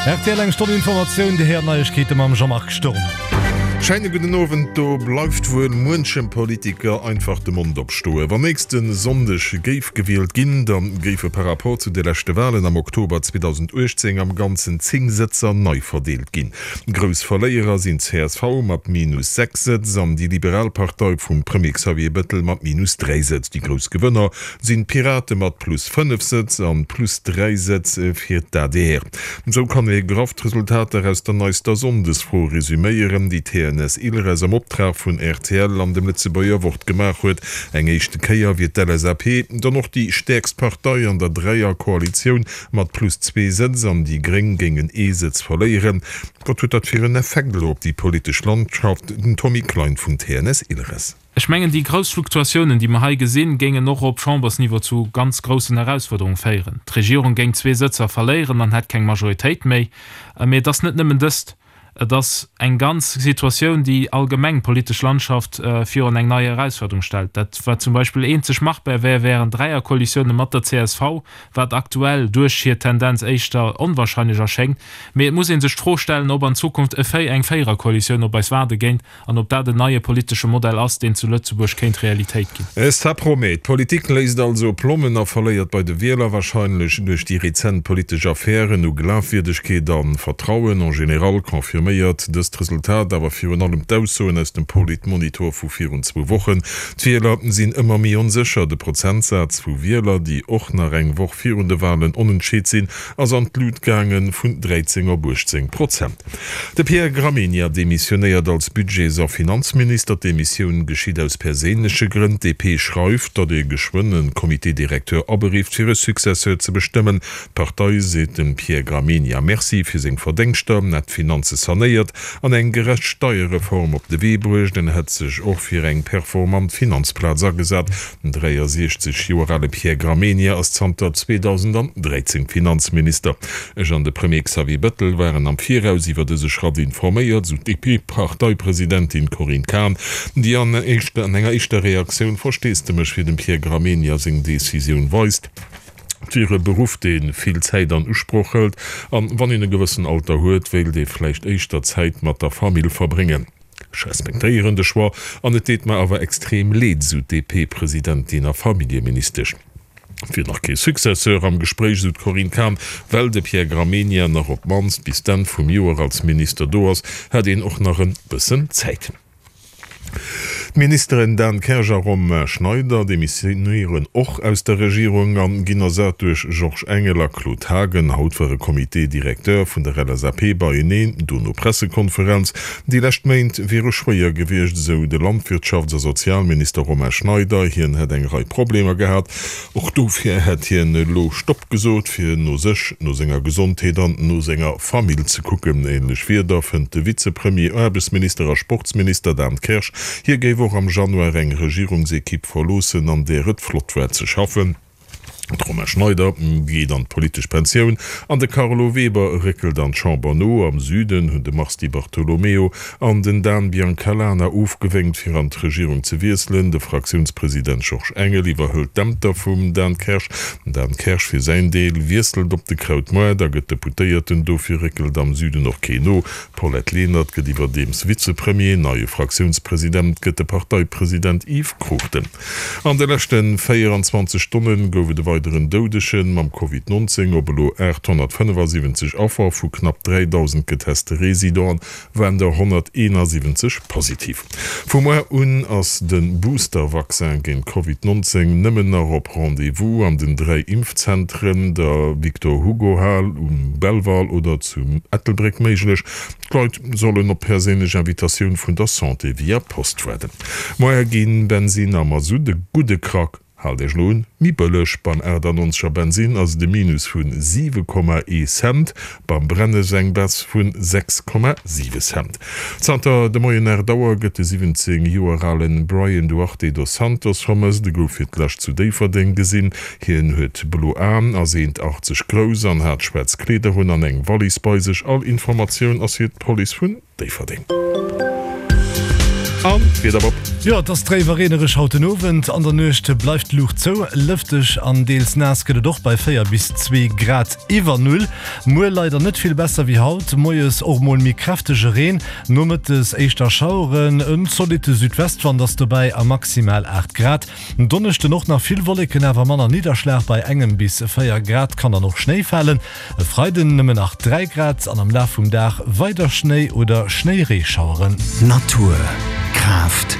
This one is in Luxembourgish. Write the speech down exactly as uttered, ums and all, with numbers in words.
Rtl eng Stonn Informatioun, déi héiert Neiegkeete mam Jean-Marc Sturm. Scheine gudden Owend. Do bleift wuel muenchem Politiker einfach de Mond opstoen. Wann nächste Sonndeg géif gewielt ginn, da géife par rapport zu de leschte Walen am Oktober zweedausenduechtzéng am Ganzen zéng Sëtzer nei verdeelt ginn. Grouss Verléierer sinn d'C S V mat minus sechs Sëtz an déi Liberal Partei vum Premier Xavier Bettel mat minus dräi Sëtz. Déi grouss Gewënner sinn d'Pirate mat plus fënnef Sëtz an plus dräi Sëtz fir d'A D R. Esou kann ee graff d'Resultater aus der neister Sonndesfro resüméieren, déi T N S Ilres am Optrag vun R T L an dem Lëtzebuerger Wort gemaach huet. Eng éischte Kéier wier d'L S A P dann och déi stäerkst Partei an der Dräierkoalitioun mat plus zwee Sëtz an déi Gréng géingen ee Sëtz verléieren. Wat huet dat fir en Effekt elo op déi politesch Landschaft? Den Tommy Klein vun T N S Ilres. Ech mengen, déi grouss Fluktuatiounen, déi mer hei gesinn, géingen och op Chambersniveau zu ganz groussen Erausfuerderunge féieren. D'Regierung géing zwee Sëtzer verléieren an hätt keng Majoritéit méi. Mee et ass net nëmmen dëst. Et ass eng ganz Situatioun, déi allgemeng d'politesch Landschaft virun eng nei Erausfuerderung stellt. Dat, wat zum Beispill eenzeg machbar wär, wären Dräierkoalitiounen mat der C S V, wat aktuell duerch hir Tendenz éischter onwahrscheinlech erschéngt. Mee et muss ee sech d'Fro stellen, ob an Zukunft e Véi eng Véiererkoalitioun op eis waarde géint an ob dat en neie politesche Modell ass, deen zu Lëtzebuerg kéint Realitéit ginn. Ça promet. D'Politik léisst also Plommen a verléiert bei de Wieler, warscheinlech duerch déi rezent politesch Affären, u Glafwierdegkeet a Vertrauen en général. Confirméiert dëst Resultat awer virun allem d'Aussoen aus dem Politmonitor vu virun zwou Wochen. D'Wieler sinn ëmmer méi onsécher. De Prozentsaz vu Wieler, déi och nach eng Woch virun de Walen onentscheet sinn, ass an d'Lut gaange vun dräizéng op uechtzéng Prozent. De Pierre Gramegna demissionéiert als Budgets a Finanzminister. D'Demissioun geschitt aus perséinleche Grënn. D P schreift, datt ee geschwënn e Comité directeur aberifft, fir e Successeur ze bestëmmen. D'Partei seet dem Pierre Gramegna Merci fir seng Verdéngschter, en hätt d'Finanze sanéiert an eng gerecht Steierreform op de Wee bruecht. En hätt sech och fir eng performant Finanzplaz agesat. Den dräiasiechzeg Joer ale Pierre Gramegna ass zanter zweedausendandräizéng Finanzminister. Ech an de Premier Xavier Bettel waren am Viraus iwwer dëse Schratt informéiert, sou d'D P-Parteipresidentin Corinne Cahen, déi an enger éischter Reaktioun Versteesdemech fir dem Pierre Gramegna seng Decisioun weist. Et wier e Beruff, dee vill Zäit an Usproch hëlt, an wann een e gewëssen Alter huet, wéilt ee vläicht éischter Zäit mat der Famill verbréngen. Ech respektéieren de Choix an et deet mer awer extrem leed, sou d'D P-Presidentin a Familljeministesch. Et wier nach kee Successeur am Gespréich, sou d'Corinne Cahen. Well de Pierre Gramegna nach op d'mannst bis d'Enn vum Joer als Minister do ass, hätt een och nach e bëssen Zäit. D'Ministeren Dan Kersch a Romain Schneider demissionéieren och aus der Regierung an ginn ersat duerch Georges Engel a Claude Haagen. Haut war e Comité directeur vun der L S A P beieneen, dono Pressekonferenz. Déi lescht Méint wiere schwéier gewiescht, esou de Landwirtschafts a Sozialminister Romain Schneider. Hien hätt eng Rei Problemer gehat. Och dofir hätt hien elo Stopp gesot, fir no sech, no senger Gesondheet an no senger Famill ze kucken. Änlech Wierder fënnt de Vizepremier, Aarbechtsminister a Sportsminister Dan Kersch. Hie géif och am Januar eng Regierungsekipp verloossen, an där et flott war ze schaffen. De Romain Schneider geet an d'politesch Pensioun an de Carlo Weber réckelt an d'Chamber no. Am Süden hunn de Mars Di Bartolomeo an den Dan Biancalana ofgewénkt, fir an d'Regierung ze wiesselen. De Fraktiounspresident Georges Engel iwwerhëlt d'Ämter vum Dan Kersch. Den Dan Kersch fir säin Deel wiesselt op de Krautmoart a gëtt Deputéierten. Dofir réckelt am Süden och keen no. D'Paulette Lenert gëtt iwwerdeems Vizepremier. Neie Fraktiounspresident gëtt de Parteipresident Yves Cruchten. An de leschte véieranzwanzeg Stonne gouf et e weideren Doudegen mam Covid nonzéng. Op elo aathonnertfënnefasiwwenzeg Affer vu knapp dräidausend geteste Residenten waren der honnerteenasiwwenzeg positiv. Vu muer un ass de Booster-Vaccin géint Covid nonzéng nëmmen nach op Rendez-vous an den dräi Impfzentren, der Victor Hugo Hal um Belval oder zu Ettelbréck méiglech. D'Leit sollen op perséinlech Invitatioun vun der Santé via Post waarden. Moie ginn Bensin a Masutt e gudde Krack, haalt Iech elo un, méi bëlleg. Beim achtannonzeger Bensin ass et e Minus vu siwe Komma ee Cent, beim Brennes eng Baisse vu sechs Komma siwe Cent. Zanter de Moien aacht Auer gëtt de siwwenzéng Joer alen Brian Duarte dos Santos vermësst. E gouf fir d'lescht zu Déifferdeng gesinn. Hien huet blo Aen, ass eent achtzeg grouss an hat schwaarz Kleeder un an eng Wallis bei sech. All Informatioun ass fir d'Police vun Déifferdeng. An d'Wieder, Bob? Jo, et ass dréif a reenereg haut den Owend. An der Nuecht bleift d'Luucht zou. Lëfteg an deels naass gëtt et och bei véier bis zwee Grad iwwer Null. Muer leider net vill besser wéi haut, moies och mol méi kräftege Reen, nomëttes éischter Schaueren. En zolitte Südwestwand ass dobäi a maximal aacht Grad. En Donneschden och nach vill Wolleken, awer manner Nidderschlag, bei engem bis véier Grad kann dann och Schnéi falen. E Freiden nëmmen nach dräi Grad an am Laf vum Dag weider Schnéi oder Schnéireeschaueren. Natur, Kraaft,